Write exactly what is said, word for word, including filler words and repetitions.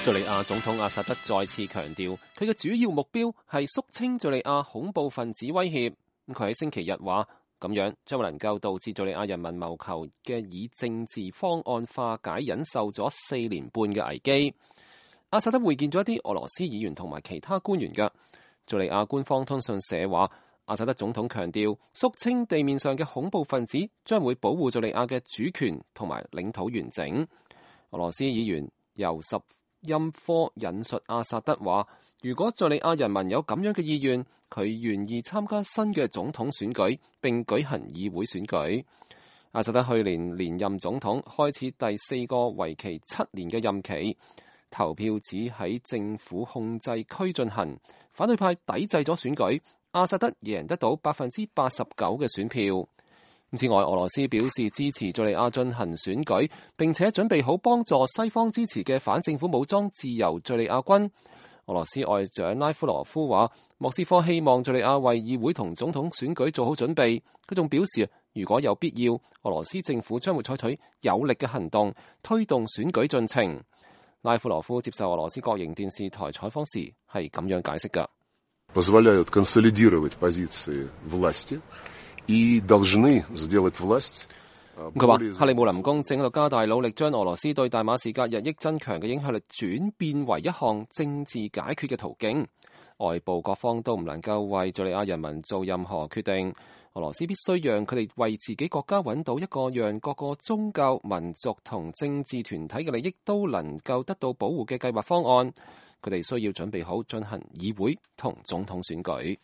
敘利亞總統阿薩德再次強調，佢嘅主要目標係肅清敘利亞恐怖分子威脅。佢喺星期日話，咁樣將能夠導致敘利亞人民謀求嘅以政治方案化解忍受咗四年半嘅危機。阿薩德會見咗一啲俄羅斯議員同埋其他官員嘅。敘利亞官方通訊社話，阿薩德總統強調，肅清地面上嘅恐怖分子將會保護敘利亞嘅主權同埋領土完整。俄羅斯議員尤什欽科引述阿薩德話，如果敘利亞人民有咁樣嘅意願，佢願意參加新嘅總統選舉並舉行議會選舉。阿薩德去年連任總統，開始第四個為期七年嘅任期。投票只喺政府控制區進行，反對派抵制咗選舉，阿薩德贏得到百分之八十九嘅選票。此外，俄羅斯表示支持敘利亞進行選舉，並且準備好幫助西方支持嘅反政府武裝自由敘利亞軍。俄羅斯外長拉夫羅夫話，莫斯科希望敘利亞為議會同總統選舉做好準備。佢仲表示，如果有必要，俄羅斯政府將會採取有力嘅行動，推動選舉進程。拉夫羅夫接受俄羅斯國營電視台採訪時係咁樣解釋㗎。позволяют консолидировать позиции власти и должны сделать власть。佢話克里姆林宮正喺度加大努力，將俄羅斯對大馬士革日益增強嘅影響力轉變為一項政治解決嘅途徑。外部各方都唔能夠為敘利亞人民做任何決定。俄羅斯必須讓佢哋為自己國家揾到一個讓各個宗教、民族同政治團體嘅利益都能夠得到保護嘅計劃方案。佢哋需要準備好進行議會同總統選舉。